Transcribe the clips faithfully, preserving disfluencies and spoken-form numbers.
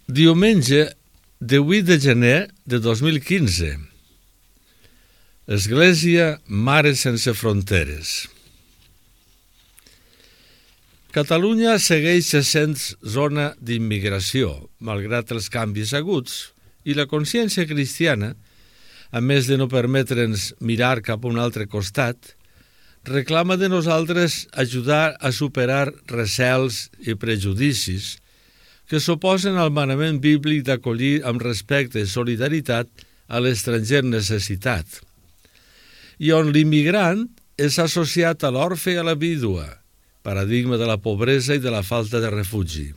Diumenge, divuit de gener de dos mil quinze. Església Mare Sense Fronteres. Catalunya segueix sent zona d'immigració, malgrat els canvis aguts, i la consciència cristiana, a més de no permetre'ns mirar cap a un altre costat, reclama de nosaltres ajudar a superar recels i prejudicis que s'oposen al manament bíblic d'acollir amb respecte i solidaritat a l'estranger necessitat, i on l'immigrant és associat a l'orfe i a la vídua, paradigma de la pobresa i de la falta de refugi.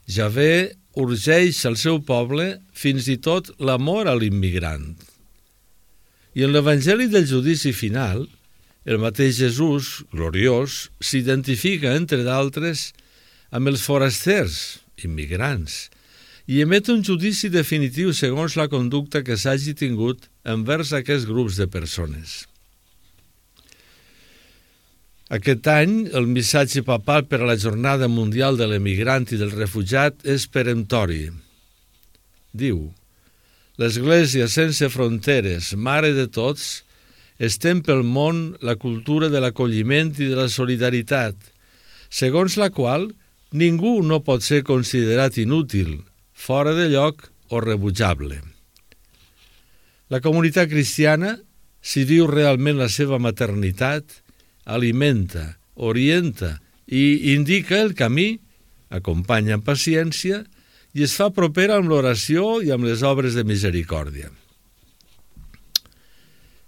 Javé urgeix al seu poble fins i tot l'amor a l'immigrant. I en l'Evangeli del judici final, el mateix Jesús, gloriós, s'identifica, entre d'altres, amb els forasters, immigrants, i emet un judici definitiu segons la conducta que s'hagi tingut envers aquests grups de persones. Aquest any, el missatge papal per a la Jornada Mundial de l'Emigrant i del Refugiat és peremptori. Diu: l'Església sense fronteres, mare de tots, estén pel món la cultura de l'acolliment i de la solidaritat, segons la qual ningú no pot ser considerat inútil, fora de lloc o rebutjable. La comunitat cristiana, si viu realment la seva maternitat, alimenta, orienta i indica el camí, acompanya amb paciència i es fa propera amb l'oració i amb les obres de misericòrdia.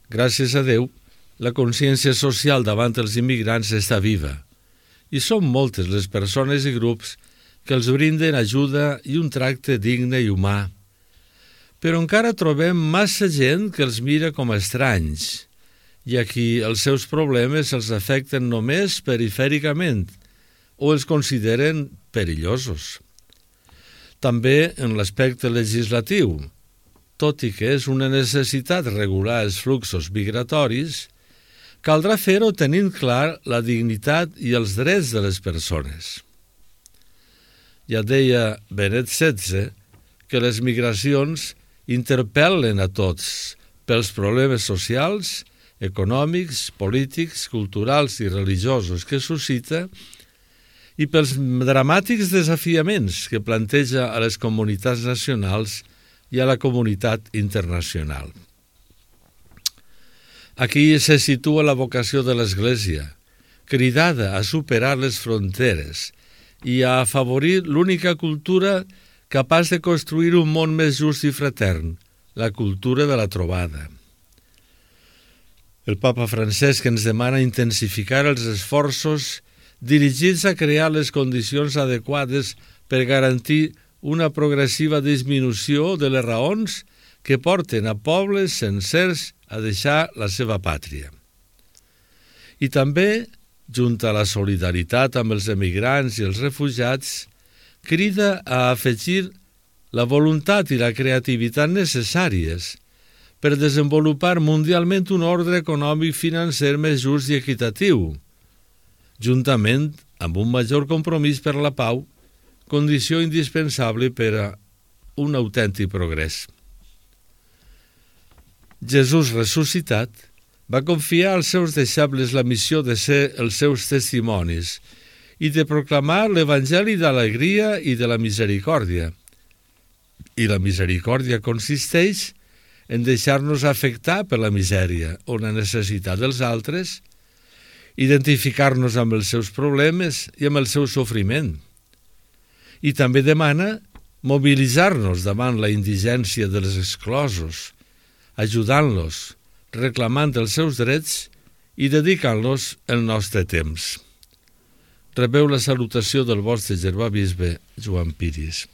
Gràcies a Déu, la consciència social davant els immigrants està viva i són moltes les persones i grups que els brinden ajuda i un tracte digne i humà. Però encara trobem massa gent que els mira com a estranys i a qui els seus problemes els afecten només perifèricament o els consideren perillosos. També en l'aspecte legislatiu, tot i que és una necessitat regular els fluxos migratoris, caldrà fer-ho tenint clar la dignitat i els drets de les persones. Ja deia Benet setze que les migracions interpel·len a tots pels problemes socials, econòmics, polítics, culturals i religiosos que suscita i pels dramàtics desafiaments que planteja a les comunitats nacionals i a la comunitat internacional. Aquí se situa la vocació de l'Església, cridada a superar les fronteres i a afavorir l'única cultura capaç de construir un món més just i fratern, la cultura de la trobada. El papa Francesc ens demana intensificar els esforços dirigits a crear les condicions adequades per garantir una progressiva disminució de les raons que porten a pobles sencers a deixar la seva pàtria. I també, junt a la solidaritat amb els emigrants i els refugiats, crida a afegir la voluntat i la creativitat necessàries per desenvolupar mundialment un ordre econòmic financer més just i equitatiu, juntament amb un major compromís per la pau, condició indispensable per a un autèntic progrés. Jesús ressuscitat va confiar als seus deixebles la missió de ser els seus testimonis i de proclamar l'Evangeli d'alegria i de la misericòrdia. I la misericòrdia consisteix en deixar-nos afectar per la misèria o la necessitat dels altres, identificar-nos amb els seus problemes i amb el seu sofriment. I també demana mobilitzar-nos davant la indigència dels exclosos, ajudant-los, reclamant els seus drets i dedicant-los el nostre temps. Rebeu la salutació del vostre germà bisbe Joan Piris.